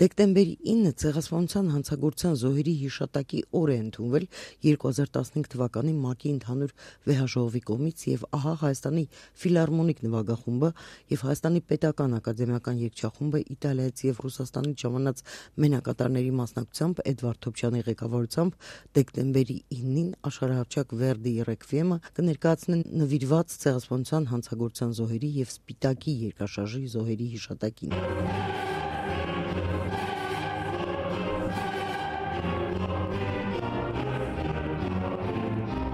Դեկտեմբերի 9-ը Ցեղասպանության հանցագործության զոհերի հիշատակի օր է ընդունվել 2015 թվականի ՄԱԿ-ի ընդհանուր վեհաժողովի կողմից եւ ահա Հայաստանի ֆիլհարմոնիկ նվագախումբը եւ Հայաստանի պետական ակադեմիական երգչախումբը Իտալիայից եւ Ռուսաստանից ժամանած մենակատարների մասնակցությամբ Էդվարդ Թոփչյանի ղեկավարությամբ դեկտեմբերի 9-ին աշխարհահռչակ Վերդիի ռեկվիեմը կներկայացնեն նվիրված Ցեղասպանության հանցագործության զոհերի եւ Սպիտակի երկրաշարժի զոհերի հիշատակին։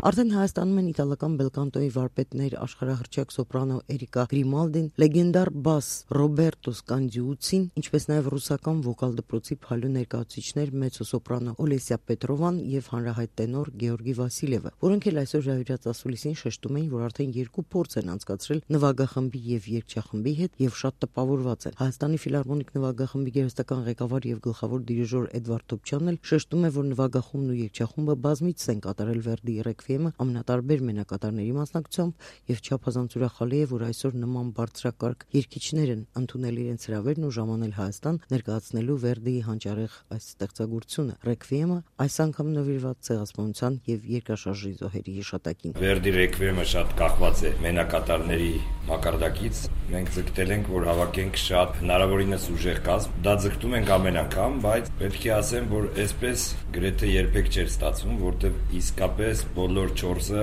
Արդեն Հայաստանում են իտալական բելկանտոյի վարպետներ աշխարհահռչակ սոպրանո Էրիկա Գրիմալդին, լեգենդար բաս Ռոբերտո Սկանդիուցին, ինչպես նաև ռուսական վոկալ դպրոցի փալու ներկայացուցիչներ մեծոսոպրանո Օլեսիա Պետրովան եւ հանրահայտ տենոր Գեորգի Վասիլևը, որոնք էլ այսօր հյուրած ասուլիսին շեշտում էին, որ արդեն երկու փորձ են անցկացրել նվագախմբի եւ երգչախմբի հետ եւ շատ տպավորված են։ Հայաստանի ֆիլհարմոնիկ նվագախմբի գերեստական ղեկավար եւ գլխավոր դիրիժոր Էդվարդ Թոփչյանն էլ շեշտում է, որ նվագախումբն ու երգչախումբը բազմիցս են կատարել Վերդիի ռեկվիեմը ամենատարբեր մենակատարների մասնակցությամբ եւ չափազանց ուրախալի է, որ այսօր նման բարձրակարգ երգիչներ են ընդունել իրենց հրավերն ու ժամանել Հայաստան ներկայացնելու Վերդիի հանճարեղ այս ստեղծագործությունը։ Ռեկվիեմը այս անգամ նվիրված Ցեղասպանության եւ երկրաշարժի զոհերի հիշատակին։ Վերդի ռեկվիեմը շատ կախված է մենակատարների մակարդակից։ Մենք ձգտել ենք, որ հավաքենք շատ հնարավորինս ուժեղ կազմ։ Դա ձգտում ենք ամեն անգամ, բայց պետք է ասեմ, որ այսպես գրեթե երբեք չէր ստացվում, որտեղ իսկապես բոլոր 4-ը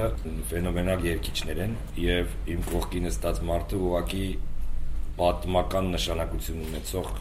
ֆենոմենալ երգիչներ են եւ իմ կողքին նստած մարդը ուղղակի պատմական նշանակություն ունեցող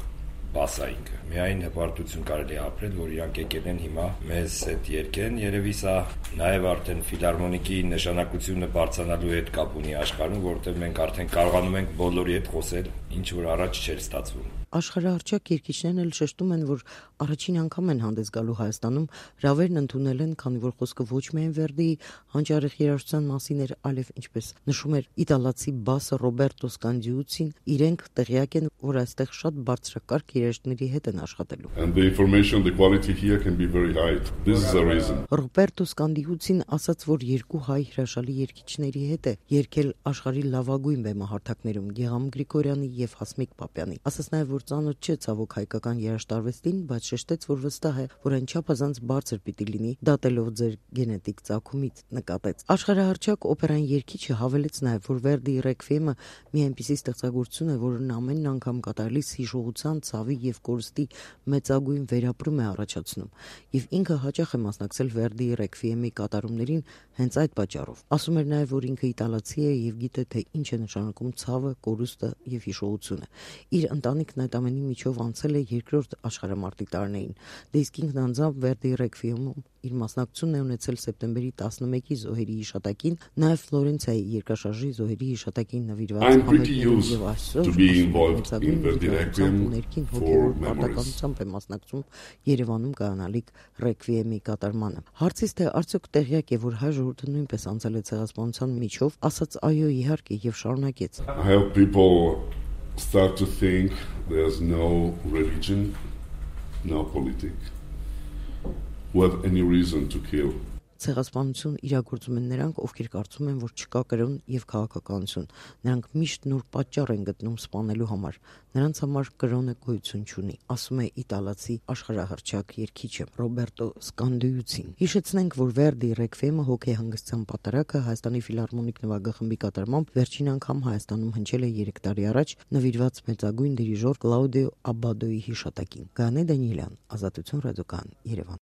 բասայինքը։ Միայն հպարտություն կարելի է ապրել, որ իրանք եկել են հիմա մեզ հետ երգեն, երևի սա նաև արդեն ֆիլհարմոնիկի նշանակությունը բարձրանալու հետ կապ ունի աշխարհում, որտեղ մենք արդեն կարողանում ենք բոլորի հետ խոսել, ինչ որ առաջ չէր ստացվում։ Աշխարհահռչակ երգիչներն էլ շեշտում են, որ առաջին անգամ են հանդես գալու Հայաստանում, հրավերն ընդունել են, քանի որ խոսքը ոչ միայն Վերդիի հանճարեղ երաժշտության մասին էր, այլև ինչպես նշում էր իտալացի բասը Ռոբերտո Սկանդիուցին, իրենք տեղյակ են, որ այստեղ շատ բարձրակարգ երաժշտների հետ են աշխատելու։ And the information, the quality here can be very high. This is the reason. Ռոբերտո Սկանդիուցին ասաց, որ երկու հայ հրաշալի երգիչների հետ է երգել աշխարհի լավագույն բեմահարթակներում Գեգամ Գրիգորյանի եւ Հասմիկ Պապյանի։ Ասաց նաև, որ ծանոթ չէ ցավոք հայկական երաժշտարվեստին, բայց շեշտեց, որ վստահ է, որ այն չափազանց բարձր պիտի լինի, դատելով ձեր գենետիկ ծագումից, նկատեց։ Աշխարհահռչակ օպերային երգիչը հավելեց նաև, որ Վերդիի ռեկվիեմը մի այնպիսի ստեղծագործություն է, որն ամեն անգամ կատարելիս հիշողության, ցավի եւ կորստի մեծագույն վերապրում է առաջացնում, եւ ինքը հաճախ է մասնակցել Վերդիի ռեկվիեմի կատարումներին հենց այդ պատճառով։ Ասում էր նաև, որ ինքը իտալացի է եւ գիտե, թե ինչ է նշանակում ցավը, կորուստը եւ հիշողությունը։ Իր ընտանիքն այդ ամենի միջով անցել է երկրորդ աշխարհամարտի տարիներին։ Դե իսկ ինքն անձամբ Վերդիի ռեկվիեմում իր մասնակցությունն է ունեցել սեպտեմբերի 11-ի զոհերի հիշատակին, նաև Ֆլորենցիայի երկրաշարժի զոհերի հիշատակին նվիրված համերգներով եւ այսօր է մասնակցում Երևանում կայանալիք ռեկվիեմի կատարմանը։ Հարցից թե արդյոք տեղյակ է, որ հայ ժողովուրդը նույնպես անցել է ցեղասպանության միջով, ասաց այո, իհարկե, եւ շարունակեց. I hope people start to think there's no religion, no politics, who have any reason to kill. Ցեղասպանություն իրագործում են նրանք, ովքեր կարծում են, որ չկա կրոն եւ քաղաքականություն։ Նրանք միշտ նոր պատճառ են գտնում սպանելու համար։ Նրանց համար կրոնը գոյություն չունի, ասում է իտալացի աշխարհահռչակ երգիչը Ռոբերտո Սկանդիուցին։ Հիշեցնենք, որ Վերդիի ռեկվիեմը հոգեհանգստության պատարագը Հայաստանի ֆիլհարմոնիկ նվագախմբի կատարմամբ վերջին անգամ Հայաստանում հնչել է 3 տարի առաջ նվիրված մեծագույն դիրիժոր Կլաուդիո Աբադոյի հիշատակին։ Գայանե Դանիելյան, Ազատություն ռադիոկայան, Երևան։